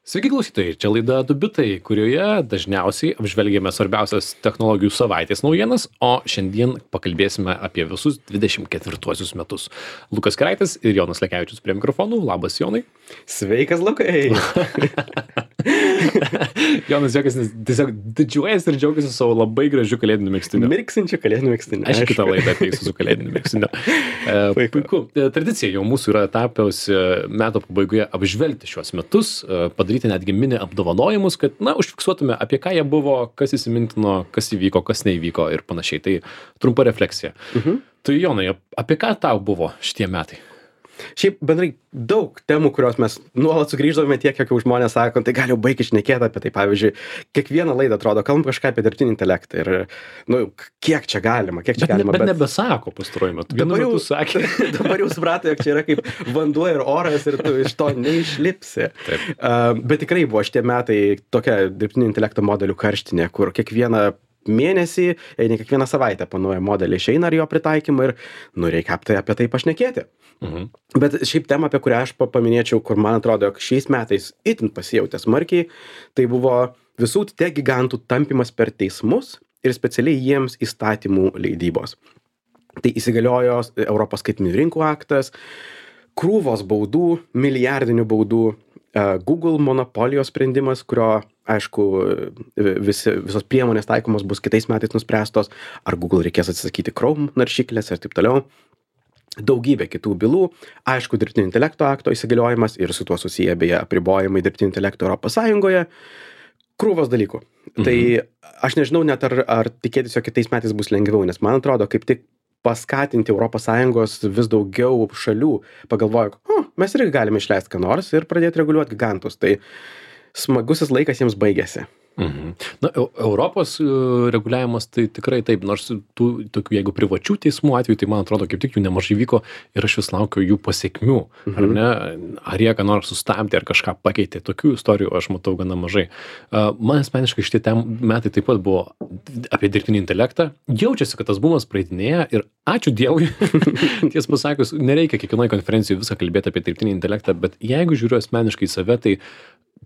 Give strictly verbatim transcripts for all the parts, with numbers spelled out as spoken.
Sveiki klausytojai, čia laida Du bitai, kurioje dažniausiai apžvelgiame svarbiausias technologijų savaitės naujienas, o šiandien pakalbėsime apie visus dvidešimt ketvirtuosius metus. Lukas Keraitis ir Jonas Lekevičius prie mikrofonų. Labas, Jonai. Sveikas, Lukai. Jonas Jokas tiesiog didžiuojasi ir džiaugiasi savo labai gražiu kalėdiniu megztiniu. Mirksinčiu kalėdiniu megztiniu. Aš kitą laidą ateisiu su kalėdiniu megztiniu. E, puiku. Tradicija jau mūsų yra tapiausi metų pabaigoje apžvelgti šiuos metus, padaryti netgi mini apdovanojimus, kad, na, užfiksuotume, apie ką jie buvo, kas įsimintino, kas įvyko, kas neįvyko ir panašiai. Tai trumpa refleksija. Mhm. Tai, Jonai, apie ką tau buvo šitie metai? Šiaip bendrai daug temų, kurios mes nuolat sugrįždavome tiek, kiek jau žmonės sako, tai gal jau baigi šnekėti apie tai. Pavyzdžiui, kiekvieną laidą atrodo, kalbam kažką apie dirbtinį intelektą ir, nu, kiek čia galima, kiek čia bet, galima. Bet, bet nebesako pastaruoju metu. Dabar jau, sakė. dabar jau suprato, jog čia yra kaip vanduo ir oras ir tu iš to neišlipsi. Uh, bet tikrai buvo šitie metai tokia dirbtinio intelekto modelių karštinė, kur kiekvieną mėnesį, ne kiekvieną savaitę panuoja modelį išeina ir jo pritaikymą ir, nu, reikia apie, apie tai pašnekėti. Mhm. Bet šiaip tema, apie kurią aš paminėčiau, kur man atrodo, jog šiais metais itin pasijautė smarkiai, tai buvo visų tech gigantų tampymas per teismus ir specialiai jiems įstatymų leidybos. Tai įsigaliojo Europos skaitmeninių rinkų aktas, krūvos baudų, milijardinių baudų, Google monopolijos sprendimas, kurio, aišku, visi, visos priemonės taikomos bus kitais metais nuspręstos, ar Google reikės atsisakyti Chrome naršyklės ir taip toliau. Daugybė kitų bylų, aišku, dirbtinio intelekto akto įsigaliojimas ir su tuo susiję beje apribojimai dirbtinio intelekto Europos Sąjungoje, krūvos dalykų. Mhm. Tai aš nežinau net ar, ar tikėtis, jog kitais metais bus lengviau, nes man atrodo, kaip tik paskatinti Europos Sąjungos vis daugiau šalių pagalvojo, o, mes irgi galime išleisti ką nors ir pradėti reguliuoti gigantus. Tai smagusis laikas jiems baigėsi. Mhm. Na, Europos reguliavimas tai tikrai taip, nors tų tokių, jeigu privačių teismų atveju, tai man atrodo, kaip tik jų nemažai vyko ir aš vis laukiu jų pasiekmių, mhm. ar ne, ar jie ką nors sustabdė, ar kažką pakeitė, tokių istorijų aš matau gana mažai. Man asmeniškai šitie metai taip pat buvo apie dirbtinį intelektą, jaučiasi, kad tas bumas praeitinėja ir ačiū Dievui, ties pasakius, nereikia kiekvienoje konferencijoje visą kalbėti apie dirbtinį intelektą, bet jeigu žiūriu asmeniškai į save, tai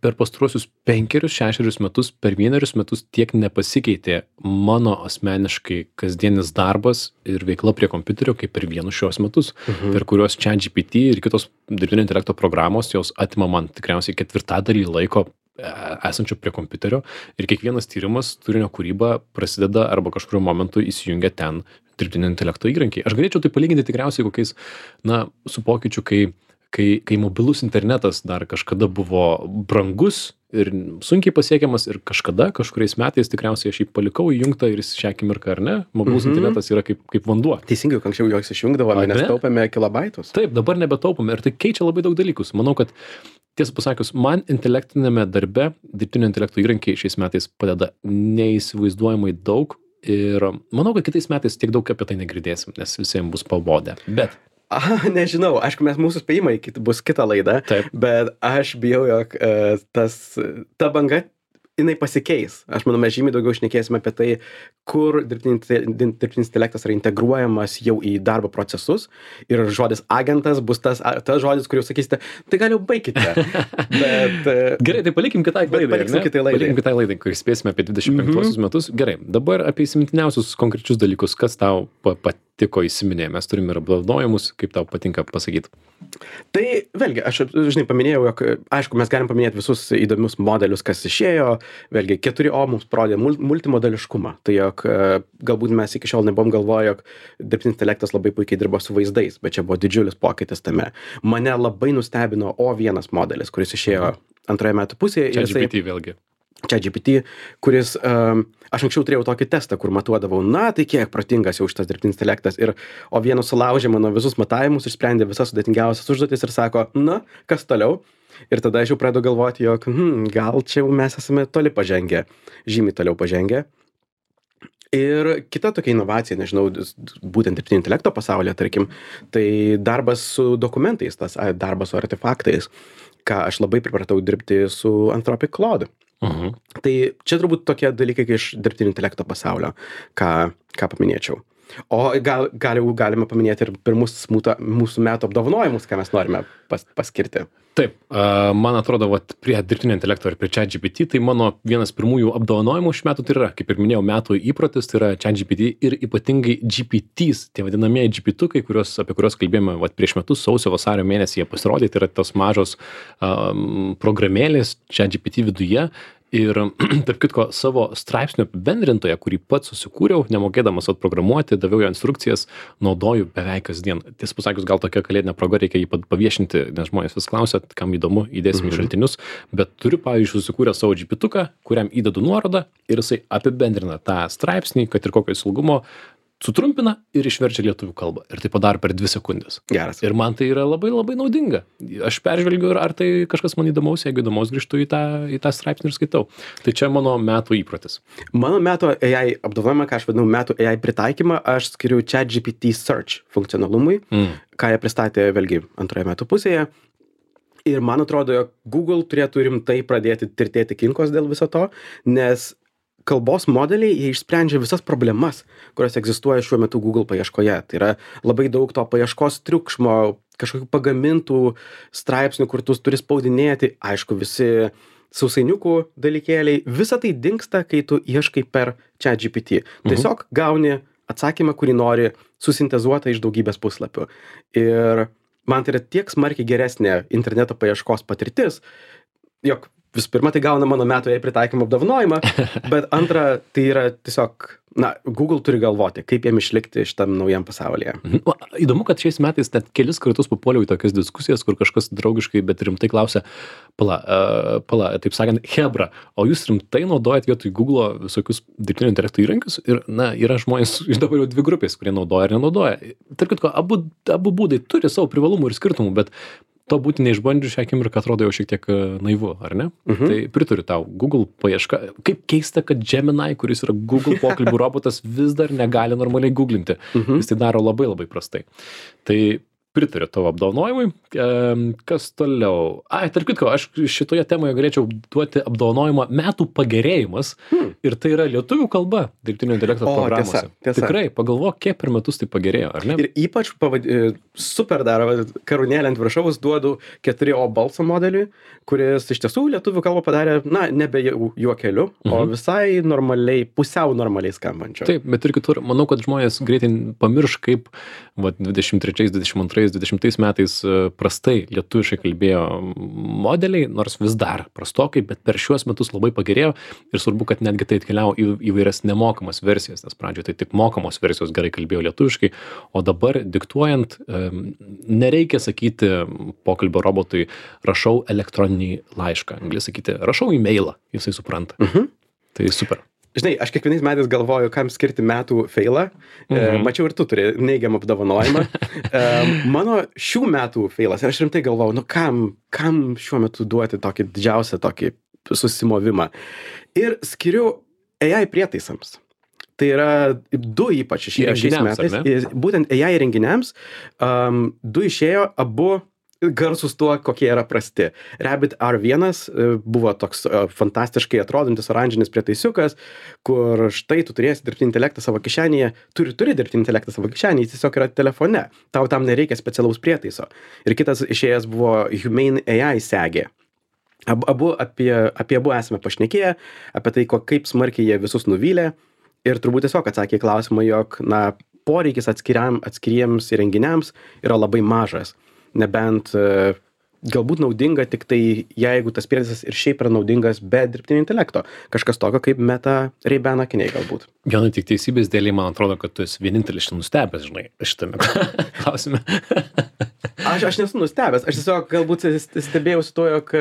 per pastaruosius penkerius, šešerius metus, per vienerius metus tiek nepasikeitė mano asmeniškai kasdienis darbas ir veikla prie kompiuterio, kaip per vienus šios metus, mhm. per kuriuos ChatGPT ir kitos dirbtinio intelekto programos, jos atima man tikriausiai ketvirtadalį laiko esančio prie kompiuterio ir kiekvienas tyrimas, turinio kūryba prasideda arba kažkurio momentu įsijungia ten dirbtinio intelekto įrankiai. Aš galėčiau tai palyginti tikriausiai kokiais, na, su pokyčiu, kai Kai, kai mobilus internetas dar kažkada buvo brangus ir sunkiai pasiekiamas ir kažkada, kažkuriais metais tikriausiai aš jį palikau įjungtą ir šią akimirką, ar ne, mobilus mm-hmm. internetas yra kaip, kaip vanduo. Teisingai, anksčiau jos išjungdavome, nes taupėme kilobaitus. Taip, dabar nebetaupome ir tai keičia labai daug dalykus. Manau, kad tiesą pasakius, man intelektinėme darbe dirbtinio intelekto įrankiai šiais metais padeda neįsivaizduojamai daug ir manau, kad kitais metais tiek daug apie tai negirdėsim, nes visiems bus pabodę. Bet Aha, nežinau, aišku, mes mūsų spėjimai bus kita laida, Taip. bet aš bijau, jog uh, tas, ta banga, jinai pasikeis. Aš manau, mes žymiai daugiau šnekėsime apie tai, kur dirbtinis intelektas yra integruojamas jau į darbo procesus ir žodis agentas bus tas, tas žodis, kurį jūs sakysite, tai gal jau baikite. Bet, Gerai, tai palikim kitai laidai. Paliksim kitai laidai. Palikim kitai laidai, kur spėsime apie dvidešimt penktuosius mm-hmm. metus. Gerai, dabar apie įsimintiniausius konkrečius dalykus, kas tau patiko įsiminė. Mes turime ir apdovanojimus, kaip tau patinka pasakyti. Tai vėlgi, aš žinai paminėjau, jog aišku, mes galim paminėti visus įdomius modelius, kas išėjo. Vėlgi, keturi O mums parodė multimodeliškumą. Tai jog galbūt mes iki šiol nebuvom galvoję, jog dirbtinis intelektas labai puikiai dirbo su vaizdais, bet čia buvo didžiulis pokytis tame. Mane labai nustebino O vienas modelis, kuris išėjo antroje metų pusėje. ChatGPT vėlgi. ChatGPT, kuris, um, aš anksčiau turėjau tokį testą, kur matuodavau, na, tai kiek protingas jau šitas dirbtinis intelektas. Ir O vienas sulaužė mano visus matavimus, išsprendė visas sudėtingiausias užduotis ir sako, na, kas toliau? Ir tada aš jau pradedu galvoti, jog, hmm, gal čia mes esame toli pažengę, žymiai toliau pažengę. Ir kita tokia inovacija, nežinau, būtent dirbtinio intelekto pasaulyje, tarkim, tai darbas su dokumentais, tas darbas su artefaktais, ką aš labai pripratau dirbti su Anthropic Claude. Uh-huh. Tai čia turbūt tokie dalykai iš dirbtinio intelekto pasaulio, ką, ką paminėčiau. O gal, gal jau galime paminėti ir pirmus mūsų metų apdovanojimus, ką mes norime pas, paskirti. Taip, a, man atrodo, vat, prie dirbtinio intelekto ir prie ChatGPT, tai mano vienas pirmųjų apdovanojimų šių metų tai yra, kaip ir minėjau, metų įprotis, tai yra ChatGPT ir ypatingai G P Ts, tie vadinamieji G P T-ukai, kurios, apie kuriuos kalbėjome vat, prieš metus, sausio vasario mėnesį jie pasirodė, tai yra tos mažos um, programėlės ChatGPT viduje. Ir, tarp kitko, savo straipsnio apibendrintoje, kurį pats susikūriau, nemokėdamas atprogramuoti, daviau jo instrukcijas, naudoju beveik kasdien. Tiesą pasakius, gal tokia kalėdinė proga, reikia jį paviešinti, nes žmonės vis klausia, kam įdomu, įdėsim į šaltinius, bet turiu, pavyzdžiui, susikūrę savo G P T-uką, kuriam įdedu nuorodą ir jisai apibendrina tą straipsnį, kad ir kokio jis ilgumo, sutrumpina ir išverčia lietuvių kalbą. Ir tai padaro per dvi sekundės. Geras. Ir man tai yra labai labai naudinga. Aš peržvelgiu, ar tai kažkas man įdomaus, jeigu įdomaus grįžtu į tą, į tą straipsnį ir skaitau. Tai čia mano metų įprotis. Mano metų A I apdovanojimą, ką aš vadinu metų A I pritaikymą, aš skiriu ChatGPT Search funkcionalumui, mm. ką jie pristatė vėlgi antroje metų pusėje. Ir man atrodo, jog Google turėtų rimtai pradėti tirtėti kinkos dėl viso to, nes kalbos modeliai, jie išsprendžia visas problemas, kurios egzistuoja šiuo metu Google paieškoje. Tai yra labai daug to paieškos triukšmo, kažkokių pagamintų straipsnių, kur tu turi spaudinėti, aišku, visi sausainiukų dalykėliai, visa tai dingsta, kai tu ieškai per ChatGPT. Tiesiog gauni atsakymą, kurį nori, susintezuotą iš daugybės puslapių. Ir man tai yra tiek smarkiai geresnė interneto paieškos patirtis, jog visų pirma, tai gauna mano metų A I pritaikymo apdovanojimą, bet antra, tai yra tiesiog, na, Google turi galvoti, kaip jiem išlikti šitam naujam pasaulyje. Mhm. O, įdomu, kad šiais metais net kelis kartus papuoliau į tokias diskusijas, kur kažkas draugiškai, bet rimtai klausia, pala, uh, pala, taip sakant, hebra, o jūs rimtai naudojat vietoj Google visokius dirbtinio intelekto įrankius? Ir, na, yra žmonės iš dabar jau dvi grupės, kurie naudoja ir nenaudoja. Tarp kitko, abu, abu būdai turi savo privalumų ir skirtumų, bet to būti neišbandžius šią akimirką atrodo jau šiek tiek naivu, ar ne? Mhm. Tai pritariu tau, Google paieška, kaip keista, kad Gemini, kuris yra Google pokalbių robotas, vis dar negali normaliai googlinti. Mhm. Jis tai daro labai labai prastai. Tai pritariu tavo apdovanojimui. Kas toliau? Ai, tarp kitko, aš šitoje temoje galėčiau duoti apdovanojimą metų pagerėjimas hmm. ir tai yra lietuvių kalba dirbtinio intelekto o, programuose. Tiesa, tiesa. Tikrai, pagalvok, kiek per metus tai pagerėjo, ar ne? Ir ypač pavad... super dar karūnėlę ant viršaus duodu keturi O balso modeliui, kuris iš tiesų lietuvių kalbą padarė, na, nebe juokeliu, mhm. o visai normaliai, pusiau normaliai skambančio. Taip, bet ir kitur, manau, kad žmonės greitai pamirš, kaip va, dvidešimt trečiais, dvidešimt antrais, dvidešimtais metais prastai lietuviškai kalbėjo modeliai, nors vis dar prastokai, bet per šiuos metus labai pagerėjo ir svarbu, kad netgi tai atkeliavo į įvairias nemokamas versijas, nes pradžioje tai tik mokamos versijos gerai kalbėjo lietuviškai, o dabar diktuojant nereikia sakyti pokalbio robotui rašau elektroninį laišką, gali sakyti rašau e-mailą, jisai supranta. Mhm. Tai super. Žinai, aš kiekvienais metais galvoju, kam skirti metų failą. Mhm. E, mačiau ir tu turi neigiamą apdovanojimą. e, mano šių metų failas, ir aš rimtai galvoju, nu kam, kam šiuo metu duoti tokį didžiausią tokį susimovimą. Ir skiriu A I prietaisams. Tai yra du ypač išėjo šiais metais. Būtent A I renginiams. Um, du išėjo, abu garsus tuo, kokie yra prasti. Rabbit R vienas buvo toks fantastiškai atrodantis oranžinis prietaisiukas, kur štai tu turėsi dirbtinį intelektą savo kišenėje, turi, turi dirbtinį intelektą savo kišenėje, jis tiesiog yra telefone. Tau tam nereikia specialaus prietaiso. Ir kitas išėjęs buvo Humane A I segė. Abu, abu apie, apie abu esame pašnekėję, apie tai, ko, kaip smarkiai jie visus nuvylė. Ir turbūt tiesiog atsakė į klausimą, jog na, poreikis atskiriam, atskiriems įrenginiams yra labai mažas. Nebent e, galbūt naudinga tik tai, jeigu tas prietaisas ir šiaip yra naudingas be dirbtinio intelekto. Kažkas tokio kaip Meta Ray-Ban akiniai galbūt. Viena tik teisybės dėliai, man atrodo, kad tu esi vienintelis nustebęs, žinai, šitame klausime. aš, aš nesu nustebęs, aš tiesiog galbūt stebėjausi to, jog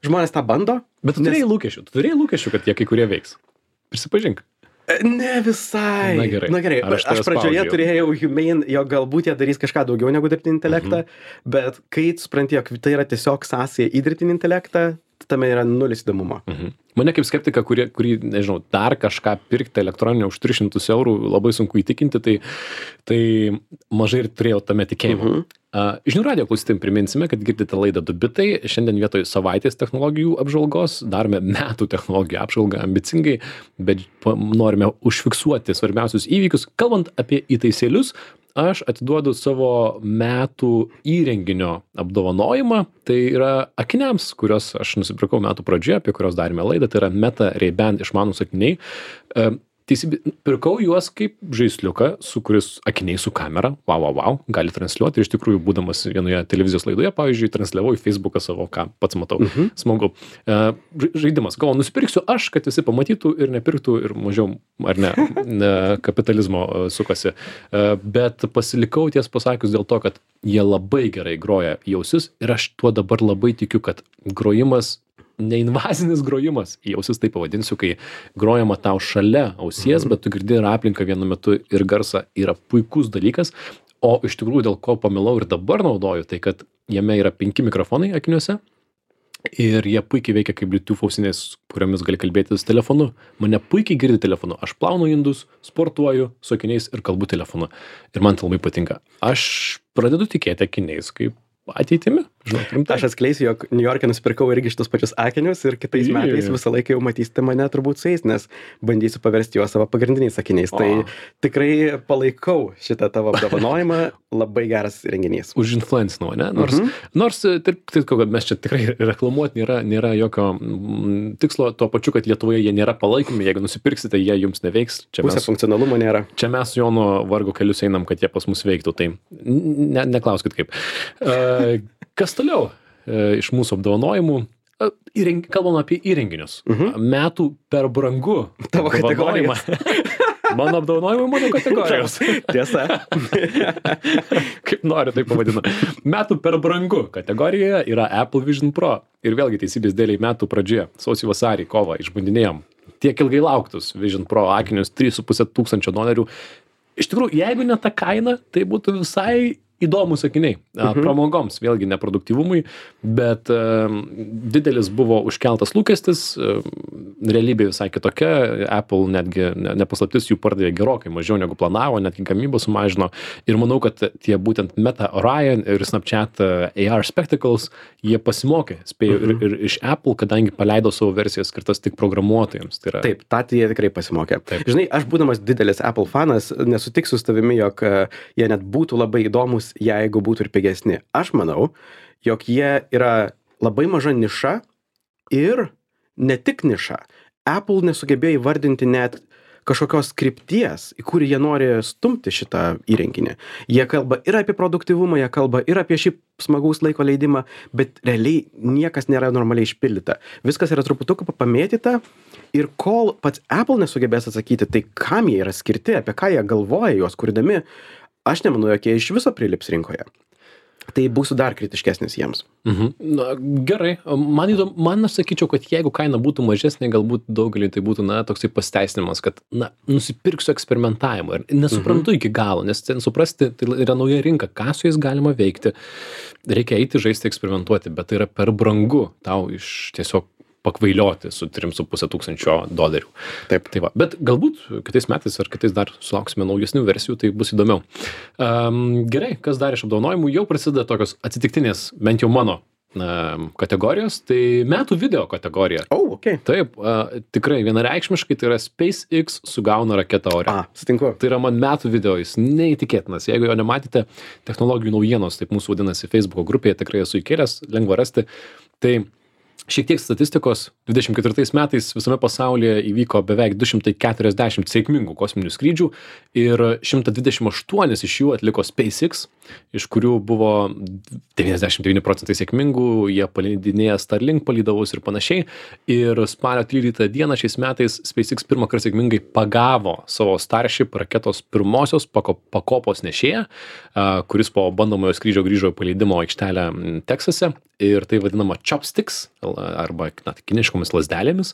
žmonės tą bando. Bet tu turėjai nes... lūkesčių, tu turėjai lūkesčių, kad jie kai kurie veiks. Prisipažink. Ne visai. Na gerai. Na gerai. Aš, aš pradžioje spaudžiau. Turėjau Humane, jo galbūt jie darys kažką daugiau negu dirbtinį intelektą, mhm. bet kai supranti, jog tai yra tiesiog sąsaja į dirbtinį intelektą, tame yra nulis įdomumo. Mhm. Mane kaip skeptiką, kurį, kurį, nežinau, dar kažką pirkti elektroninę už tris šimtus eurų, labai sunku įtikinti, tai, tai mažai ir turėjau tame tikėjimo. Mhm. Uh, Žinių radijo klausytojams priminsime, kad girdite laidą du bitai. Šiandien vietoj savaitės technologijų apžvalgos darome metų technologijų apžvalgą ambicingai, bet norime užfiksuoti svarbiausius įvykius. Kalbant apie įtaisėlius, aš atiduodu savo metų įrenginio apdovanojimą, tai yra akiniams, kuriuos aš nusipirkau metų pradžioje, apie kurios darėme laidą, tai yra Meta Ray-Ban išmanūs akiniai. Teisybė, pirkau juos kaip žaisliuką, su kuris akiniai su kamera, wow, wow, wow, gali transliuoti. Ir iš tikrųjų, būdamas vienoje televizijos laidoje, pavyzdžiui, transliavau į Facebooką savo, ką pats matau. Mhm. Smagu. Žaidimas. Galvoju, nusipirksiu aš, kad visi pamatytų ir nepirktų ir mažiau, ar ne, ne kapitalizmo sukasi. Bet pasilikau ties pasakius dėl to, kad jie labai gerai groja į ausis ir aš tuo dabar labai tikiu, kad grojimas neinvazinis grojimas, į ausis taip pavadinsiu, kai grojama tau šalia ausies, bet tu girdi ir aplinką vienu metu ir garsą, yra puikus dalykas, o iš tikrųjų dėl ko pamilau ir dabar naudoju, tai kad jame yra penki mikrofonai akiniuose ir jie puikiai veikia kaip Bluetooth ausinės, kuriomis gali kalbėtis telefonu. Mane puikiai girdi telefonu. Aš plaunu indus, sportuoju su akiniais ir kalbu telefonu. Ir man tai labai patinka. Aš pradedu tikėti akiniais kaip ateitimi. Žinau, rimtai. Aš atskleisiu, jog New York'e nusipirkau irgi šitus pačius akinius ir kitais Jei. metais visą laiką jau matysite mane turbūt su jais, nes bandysiu paversti juos savo pagrindiniais akiniais. O. Tai tikrai palaikau šitą tavo apdovanojimą, labai geras renginys. Už influencinau, ne? Nors, mhm. nors taip, taip, kad mes čia tikrai reklamuoti nėra, nėra jokio mm, tikslo, tuo pačiu, kad Lietuvoje jie nėra palaikomi, jeigu nusipirksite, jie jums neveiks. Čia Pusė mes, funkcionalumo nėra. Čia mes Jono vargo kelius einam, kad jie pas mus veiktų, tai ne, neklauskit kaip. Uh, Kas toliau e, iš mūsų apdovanojimų? E, įreng... Kalbam apie įrenginius. Uh-huh. Metų per brangu. Tavo kategorija. Mano apdovanojimai, mano kategorijos. Tiesa. Kaip noriu, tai pavadinu. Metų per brangu kategorijoje yra Apple Vision Pro. Ir vėlgi teisybės dėliai metų pradžioje, sausį vasarį, kovą, išbandinėjom tiek ilgai lauktus Vision Pro akinius, trys su puse tūkstančio dolerių. Iš tikrųjų, jeigu ne ta kaina, tai būtų visai įdomus akiniai, mhm. pramogoms, vėlgi neproduktyvumui, bet um, didelis buvo užkeltas lūkestis, um, realybė visai kitokia, Apple netgi ne, nepaslaptis jų pardavė gerokai mažiau negu planavo, netgi gamybą sumažino ir manau, kad tie būtent Meta Orion ir Snapchat A R Spectacles, jie pasimokė, spėjo mhm. ir, ir iš Apple, kadangi paleido savo versiją skirtas tik programuotojams. Tai yra... Taip, tą jie tikrai pasimokė. Taip. Žinai, aš būdamas didelis Apple fanas, nesutiksiu su tavimi, jog uh, jie net būtų labai įdomus, jeigu būtų ir pigesni. Aš manau, jog jie yra labai maža niša ir ne tik niša. Apple nesugebėjo įvardinti net kažkokios krypties, į kurį jie nori stumti šitą įrenginį. Jie kalba ir apie produktyvumą, jie kalba ir apie šį smagaus laiko leidimą, bet realiai niekas nėra normaliai išpildyta. Viskas yra truputuką pamėtyta ir kol pats Apple nesugebės atsakyti, tai kam jie yra skirti, apie ką jie galvoja juos kurdami, aš nemanau, jog jie iš viso prilips rinkoje. Tai būsiu dar kritiškesnis jiems. Mhm. Na, gerai. Man įdomu, man aš sakyčiau, kad jeigu kaina būtų mažesnė, galbūt daugeliui tai būtų, na, toksai pasteisinimas, kad, na, nusipirksiu eksperimentavimą ir nesuprantu mhm. iki galo, nes ten suprasti, tai yra nauja rinka, ką su jais galima veikti. Reikia eiti, žaisti, eksperimentuoti, bet tai yra per brangu tau iš tiesiog pakvailioti su trim su puse tūkstančio dolerių. Taip. Tai va. Bet galbūt kitais metais ar kitais dar sulauksime naujesnių versijų, tai bus įdomiau. Um, gerai, kas dar iš apdovanojimų? Jau prasideda tokios atsitiktinės, bent jau mano um, kategorijos, tai metų video kategorija. Oh, okay. Taip, uh, tikrai vienareikšmiškai tai yra SpaceX sugauna raketą ore. A, sutinku. Tai yra man metų video, jis neįtikėtinas. Jeigu jo nematėte, technologijų naujienos, taip mūsų vadinasi Facebooko grupėje, tikrai esu įkėlęs, lengva rasti. Tai šiek tiek statistikos, dvidešimt ketvirtais metais visame pasaulyje įvyko beveik du šimtai keturiasdešimt sėkmingų kosminių skrydžių ir šimtas dvidešimt aštuoni iš jų atliko SpaceX, iš kurių buvo devyniasdešimt devyni procentai sėkmingų, jie paleidinėja Starlink palydovus ir panašiai. Ir spalio tryliktą dieną šiais metais SpaceX pirmą kartą sėkmingai pagavo savo Starship raketos pirmosios pakopos nešėją, kuris po bandomojo skrydžio grįžo į paleidimo aikštelę Teksase. Ir tai vadinama chopsticks, arba na, kiniškomis lazdelėmis,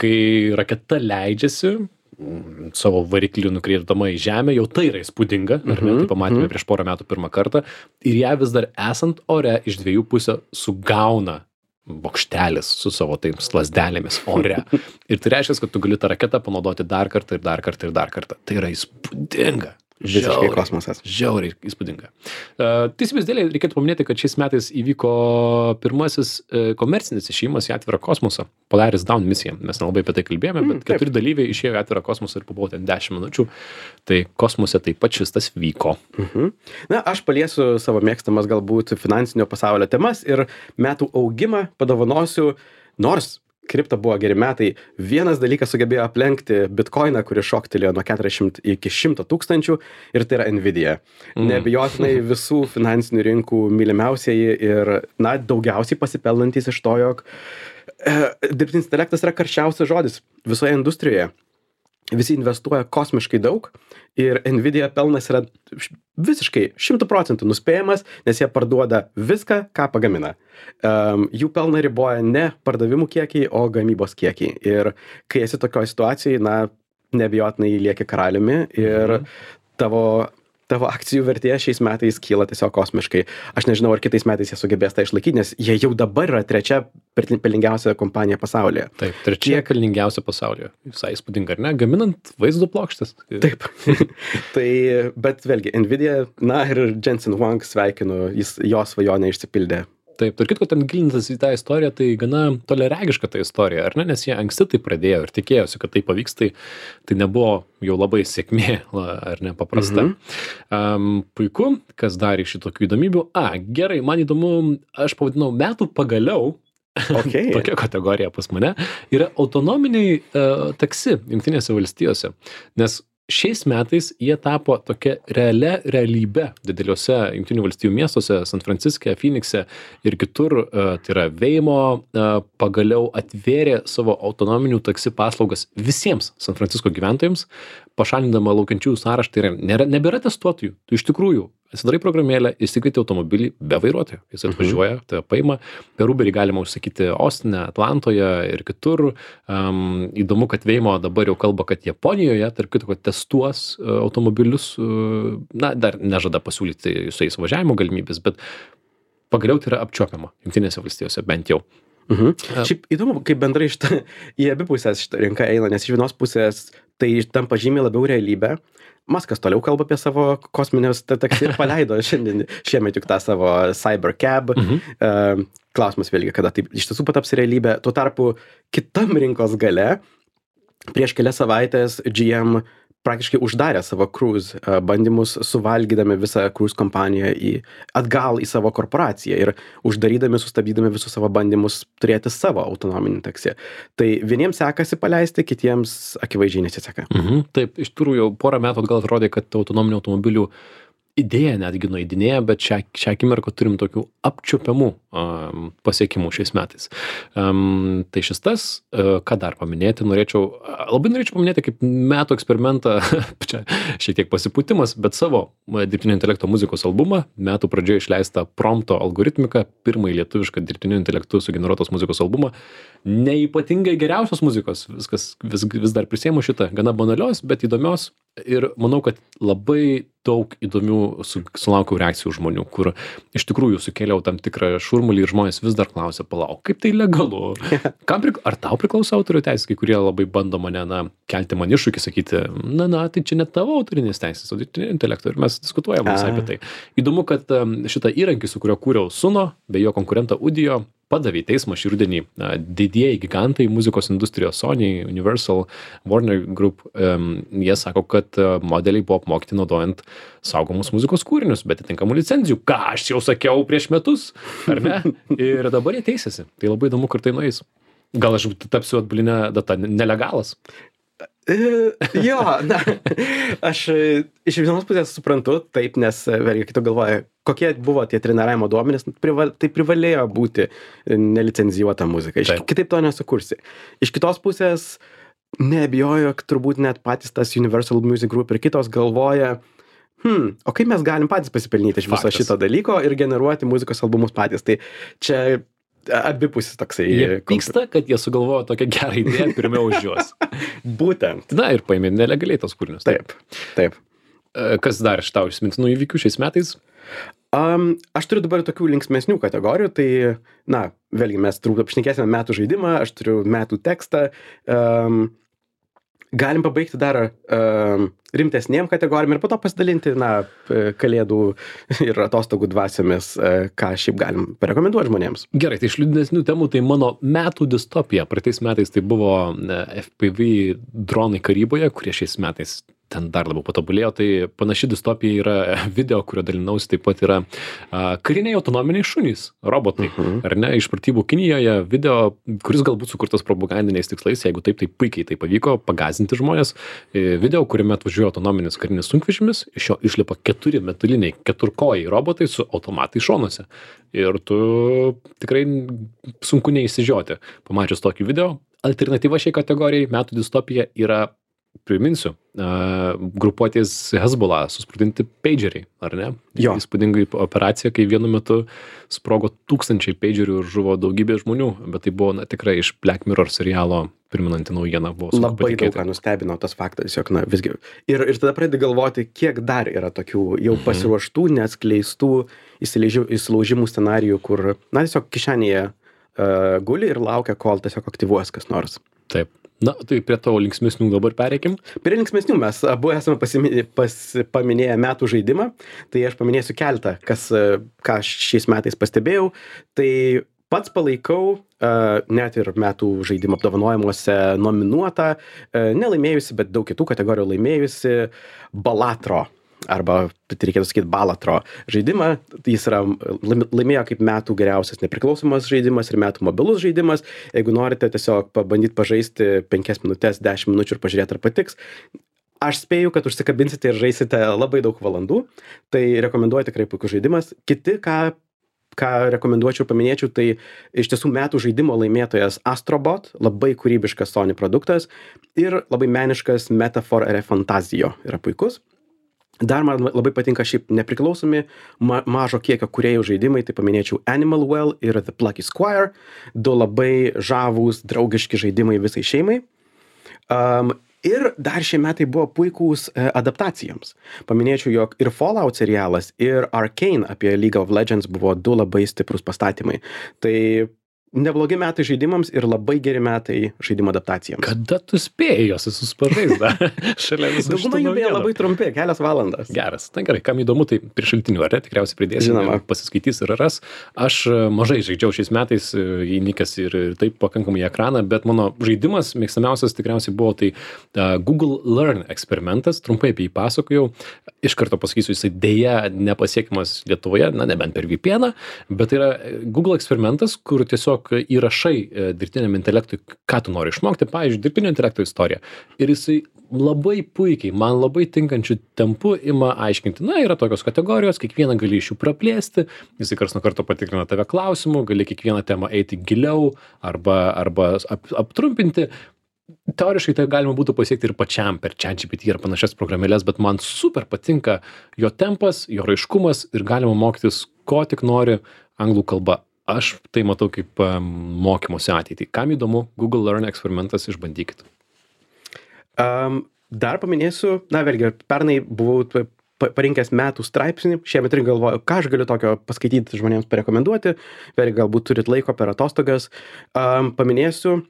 kai raketa leidžiasi savo variklių nukreipdama į žemę, jau tai yra įspūdinga, ar ne, tai pamatėme mm-hmm. prieš porą metų pirmą kartą, ir ją vis dar esant ore iš dviejų pusę sugauna bokštelis su savo taims lazdelėmis ore. Ir tai reiškia, kad tu gali tą raketą panaudoti dar kartą ir dar kartą ir dar kartą. Tai yra įspūdinga. Visiškai kosmosas. Žiauriai įspūdinga. Uh, Teisybės dėlei reikėtų paminėti, kad šiais metais įvyko pirmasis uh, komercinis išėjimas į atvirą kosmosą. Polaris Dawn misija. Mes nelabai apie tai kalbėjome, bet mm, keturi dalyviai išėjo į atvirą kosmosą ir pabuvo ten dešimt minučių. Tai kosmose taip pat šis tas vyko. Mhm. Na, aš paliesiu savo mėgstamas galbūt finansinio pasaulio temas ir metų augimą padovanosiu, nors kripto buvo geri metai. Vienas dalykas sugebėjo aplenkti bitkoiną, kuris šoktelėjo nuo keturiasdešimt iki šimto tūkstančių, ir tai yra Nvidia. Mm. Neabejotinai visų finansinių rinkų mylimiausieji ir, na, daugiausiai pasipelnantys iš to, jog e, dirbtinis intelektas yra karščiausias žodis visoje industrijoje. Visi investuoja kosmiškai daug ir Nvidia pelnas yra visiškai šimtu procentų nuspėjamas, nes jie parduoda viską, ką pagamina. Um, jų pelną riboja ne pardavimų kiekiai, o gamybos kiekiai. Ir kai esi tokioje situacijoje, na, neabejotinai lieki karaliumi ir mhm. tavo tavo akcijų vertė šiais metais kyla tiesiog kosmiškai. Aš nežinau, ar kitais metais jie sugebės tą išlaikyti, nes jie jau dabar yra trečia pelningiausia kompanija pasaulyje. Taip, trečia Tiek... pelningiausia pasaulyje. Visai įspūdinga, ar ne? Gaminant vaizdo plokštes. Taip. Tai, bet vėlgi, Nvidia, na ir Jensen Huang sveikinu, jis, jo svajonė išsipildė. Taip, ir kitko ten gilintas į tą istoriją, tai gana toliaregiška ta istorija, ar ne? Nes jie anksti tai pradėjo ir tikėjosi, kad tai pavyks, tai, tai nebuvo jau labai sėkmė, ar ne, paprasta. Mhm. Um, puiku, kas darė šitokių įdomybių. A, gerai, man įdomu, aš pavadinau metų pagaliau. Okay. Tokia kategorija pas mane yra autonominiai uh, taksi Jungtinėse valstijose, nes šiais metais jie tapo tokia realia realybe dideliuose Jungtinių valstijų miestuose, San Franciske, Phoenixe ir kitur, tai yra Waymo, pagaliau atvėrė savo autonominių taksi paslaugas visiems San Francisko gyventojams, pašalindama laukiančiųjų sąraštą, tai nėra, nebėra testuotojų. Tu iš tikrųjų atsidarai programėlę, įsikvieti automobilį be vairuotojo. Jis atvažiuoja, tai paima. Per Uberį galima užsakyti Ostine, Atlantoje ir kitur. Um, įdomu, kad Waymo dabar jau kalba, kad Japonijoje, tarp kitko, testuos uh, automobilius, uh, na, dar nežada pasiūlyti su jais važiavimo galimybės, bet pagaliau tai yra apčiuopiama Jungtinėse valstijose, bent jau. Mhm. Uh. Šiaip įdomu, kaip bendrai šitą, į abi pusės šitą rinką eina, nes iš vienos pusės tai tampa žymiai labiau realybė. Maskas toliau kalba apie savo kosminės taksi ir paleido šiandien, šiemet juk tą savo Cybercab. Mhm. Uh, klausimas vėlgi, kada tai iš tiesų pataps realybė. Tuo tarpu kitam rinkos gale prieš kelias savaitės G M praktiškai uždarė savo cruise bandymus, suvalgydami visą cruise kompaniją į, atgal į savo korporaciją ir uždarydami, sustabdydami visus savo bandymus turėti savo autonominį taksi. Tai vieniems sekasi paleisti, kitiems akivaizdžiai nesiseka. Mhm, taip, iš tikrųjų jau porą metų atgal atrodė, kad autonominių automobilių idėja netgi nueidinėja, bet šią, šią akimirką turim tokių apčiuopiamų um, pasiekimų šiais metais. Um, tai šis tas, uh, ką dar paminėti, norėčiau, labai norėčiau paminėti kaip metų eksperimentą, čia šiek tiek pasipūtimas, bet savo dirbtinio intelekto muzikos albumą, metų pradžioje išleistą Prompto algoritmiką, pirmąjį lietuvišką dirbtinio intelektų sugeneruotos muzikos albumą, neypatingai geriausios muzikos, viskas vis, vis dar prisiemu šitą, gana banalios, bet įdomios. Ir manau, kad labai daug įdomių su, sulaukiau reakcijų žmonių, kur iš tikrųjų sukėliau tam tikrą šurmulį ir žmonės vis dar klausia, palauk, kaip tai legalu? Kam prikla... Ar tau priklauso autorių teisės, kai kurie labai bando mane, na, kelti man iššūkį, sakyti, na, na, tai čia ne tavo autorinės teisės, o dirbtinio intelekto ir mes diskutuojame visai apie tai. Įdomu, kad šitą įrankį, su kuriuo kūriau Suno, bei jo konkurentą Udio, padavė į teismą šį rudenį didieji gigantai muzikos industrijos Sony, Universal, Warner Group. Um, jie sako, kad modeliai buvo apmokyti naudojant saugomus muzikos kūrinius, bet atitinkamų licenzijų, ką aš jau sakiau prieš metus, ar ne? Ir dabar jie teisėsi. Tai labai įdomu, kur tai nueis. Gal aš tapsiu atbulinę datą nelegalas? Jo, na, aš iš vienos pusės suprantu, taip, nes vėlgi, kai tu galvoji, kokie buvo tie treniravimo duomenys, prival, tai privalėjo būti nelicenzijuota muzika. Iš, kitaip to nesukursi. Iš kitos pusės, neabejoju, turbūt net patys tas Universal Music Group ir kitos galvoja, hmm, o kaip mes galim patys pasipelnyti iš viso šito dalyko ir generuoti muzikos albumus patys. Tai čia abipusis toksai. Jie pyksta, kad jie sugalvojo tokią gerą idėją pirmiau už juos. Būtent. Na ir paėmė nelegaliai tos kūrinius. Taip, taip. Kas dar iš tau įsimintinų įvykių šiais metais? Um, aš turiu dabar tokių linksmesnių kategorijų, tai, na, vėlgi mes turbūt apšnekėsime metų žaidimą, aš turiu metų tekstą. Um, galim pabaigti dar uh, rimtesnėm kategorijom ir po to pasidalinti, na, kalėdų ir atostogų dvasiomis, uh, ką šiaip galim parekomenduoti žmonėms. Gerai, tai iš liūdnesnių temų, tai mano metų distopija. Praeitais metais tai buvo F P V dronai karyboje, kurie šiais metais ten dar labiau patobulėjo. Tai panaši distopija yra video, kurio dalinausi, taip pat yra a, kariniai autonominiai šunys, robotai, uh-huh. ar ne, iš pratybų Kinijoje video, kuris galbūt sukurtas propagandiniais tikslais, jeigu taip, tai puikiai tai pavyko pagazinti žmonės. E, video, kuriame atvažiuoja autonominis karinis sunkvežimis, iš jo išlipa keturi metaliniai keturkojai robotai su automatai šonuose. Ir tu tikrai sunku neįsižioti. Pamačius tokį video, alternatyva šiai kategorijai metų distopija yra, priminsiu, uh, grupuotės Hezbollah susprogdinti pageriai, ar ne? Jo. Įspūdingai operacija, kai vienu metu sprogo tūkstančiai pagerių ir žuvo daugybė žmonių, bet tai buvo na, tikrai iš Black Mirror serialo priminanti naujiena. Buvo labai daug ką nustebino tas faktas, jog na visgi. Ir, ir tada pradedi galvoti, kiek dar yra tokių jau pasiruoštų, neatskleistų įsilaužimų scenarijų, kur na tiesiog kišenėje uh, guli ir laukia, kol tiesiog aktyvuos kas nors. Taip. Na, tai prie tavo linksmesnių dabar pereikim. Prie linksmesnių mes abu esame pasiminė, pas, paminėję metų žaidimą, tai aš paminėsiu keletą, kas, ką šiais metais pastebėjau. Tai pats palaikau, uh, net ir metų žaidimo apdovanojimuose nominuotą, uh, nelaimėjusi, bet daug kitų kategorijų laimėjusi Balatro. Arba, tai reikėtų sakyti, Balatro žaidimą. Jis yra, laimėjo kaip metų geriausias nepriklausomas žaidimas ir metų mobilus žaidimas. Jeigu norite tiesiog pabandyti pažaisti penkias minutės, dešimt minučių ir pažiūrėti, ar patiks. Aš spėju, kad užsikabinsite ir žaisite labai daug valandų. Tai rekomenduoju, tikrai puikus žaidimas. Kiti, ką, ką rekomenduočiau ir paminėčiau, tai iš tiesų metų žaidimo laimėtojas Astrobot, labai kūrybiškas Sony produktas ir labai meniškas Metaphor Fantasio yra puikus. Dar man labai patinka šiaip nepriklausomi ma mažo kiekio kūrėjų žaidimai, tai paminėčiau Animal Well ir The Plucky Squire, du labai žavūs, draugiški žaidimai visai šeimai. Um, ir dar šie metai buvo puikūs e, adaptacijoms. Paminėčiau, jog ir Fallout serialas, ir Arcane apie League of Legends buvo du labai stiprus pastatymai. Tai neblogi metai žaidimams ir labai geri metai žaidimo adaptacijoms. Kada tu spėjai jos suspažais dar? Šalia visų Dauguma jų beje labai trumpi, kelias valandas. Geras. Na gerai, kam įdomu, tai prie šaltinių, ar ne, tikriausiai pridėsim, pasiskaitys ir ras. Aš mažai žaidžiau šiais metais, įnikęs ir taip pakankamai į ekraną, bet mano žaidimas mėgstamiausias tikriausiai buvo tai uh, Google Learn eksperimentas, trumpai apie jį pasakojau. Iš karto pasakysiu, jisai dėja nepasiekiamas Lietuvoje, na nebent per V P N, bet tai yra Google eksperimentas, kur tiesiog įrašai dirbtiniam intelektui, ką tu nori išmokti, pavyzdžiui, dirbtinio intelekto istoriją. Ir jisai labai puikiai, man labai tinkančių tempų ima aiškinti, na, yra tokios kategorijos, kiekvieną gali iš jų praplėsti, jisai karts nuo karto patikrina tave klausimų, gali kiekvieną temą eiti giliau arba, arba ap, aptrumpinti. Teoriškai tai galima būtų pasiekti ir pačiam per ChatGPT ir panašias programėlės, bet man super patinka jo tempas, jo raiškumas ir galima mokytis, ko tik nori anglų kalba. Aš tai matau kaip um, mokymosi ateitį. Kam įdomu, Google Learn eksperimentas, išbandykit. Um, dar paminėsiu, na vėlgi, pernai buvau parinkęs metų straipsnį, šiemet ir galvoju, ką aš galiu tokio paskaityti žmonėms parekomenduoti, vėlgi galbūt turit laiko per atostogas. Um, paminėsiu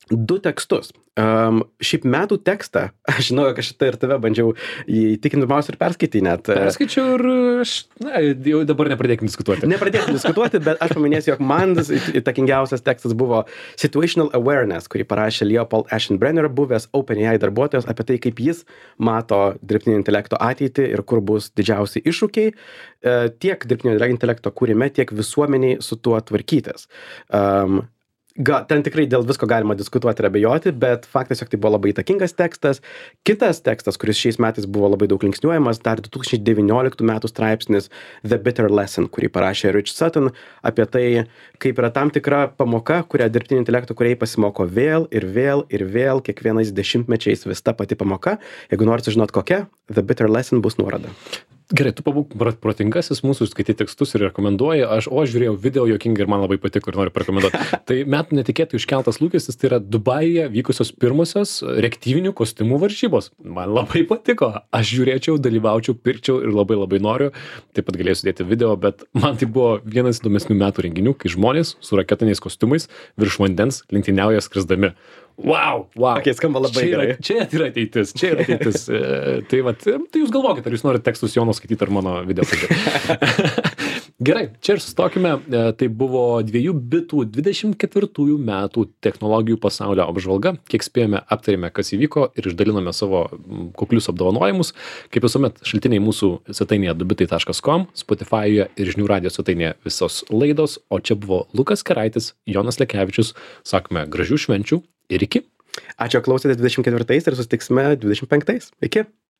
du tekstus. Um, šiaip metų tekstą, aš žinau, kad šitą ir tave bandžiau įtikinti pirmiausia ir perskaityti net. Perskaičiau ir aš, na, jau dabar nepradėkim diskutuoti. Nepradėkim diskutuoti, bet aš paminėsiu, jog man įtakingiausias tekstas buvo Situational Awareness, kurį parašė Leopold Aschenbrenner, buvęs OpenAI darbuotojas, apie tai, kaip jis mato dirbtinio intelekto ateitį ir kur bus didžiausi iššūkiai tiek dirbtinio intelekto kūrime, tiek visuomeniai su tuo tvarkytis. Um, Ga, ten tikrai dėl visko galima diskutuoti ir abejoti, bet faktas, jog tai buvo labai įtakingas tekstas. Kitas tekstas, kuris šiais metais buvo labai daug linksniuojamas, dar du tūkstančiai devynioliktų metų straipsnis The Bitter Lesson, kurį parašė Rich Sutton, apie tai, kaip yra tam tikra pamoka, kurią dirbtinio intelekto kūrėjai pasimoko vėl ir vėl ir vėl, kiekvienais dešimtmečiais vis ta pati pamoka. Jeigu norite žinot kokia, The Bitter Lesson bus nuoroda. Gerai, tu pabūk protingasis mūsų skaitai tekstus ir rekomenduoji, aš, o aš žiūrėjau video juokingai ir man labai patiko ir noriu rekomenduoti. Tai metų netikėtai iškeltas lūkestis, tai yra Dubajuje vykusios pirmosios reaktyvinių kostiumų varžybos. Man labai patiko, aš žiūrėčiau, dalyvaučiau, pirkčiau ir labai labai noriu, taip pat galėsiu dėti video, bet man tai buvo vienas įdomesnių metų renginių, kai žmonės su raketiniais kostiumais virš vandens lenktyniauja skrisdami. Wow, wow. Okay, skamba labai čia yra, gerai. Čia yra ateitis, čia yra ateitis. E, tai, vat, tai jūs galvokit, ar jūs norite tekstus Jono skaityti ar mano video skaityti. Gerai, čia ir sustokime. E, tai buvo dviejų bitų dvidešimt ketvirtųjų metų technologijų pasaulio apžvalga. Kiek spėjome, aptarėme, kas įvyko ir išdalinome savo kuklius apdovanojimus. Kaip visuomet, šaltiniai mūsų svetainėje du bitai taškas com, Spotify'e ir žinių radijo svetainėje visos laidos. O čia buvo Lukas Keraitis, Jonas Lekevičius. Sakome, gražių švenčių ir iki. Ačiū, klausėte dvidešimt ketvirtais ir susitiksime dvidešimt penktais. Iki.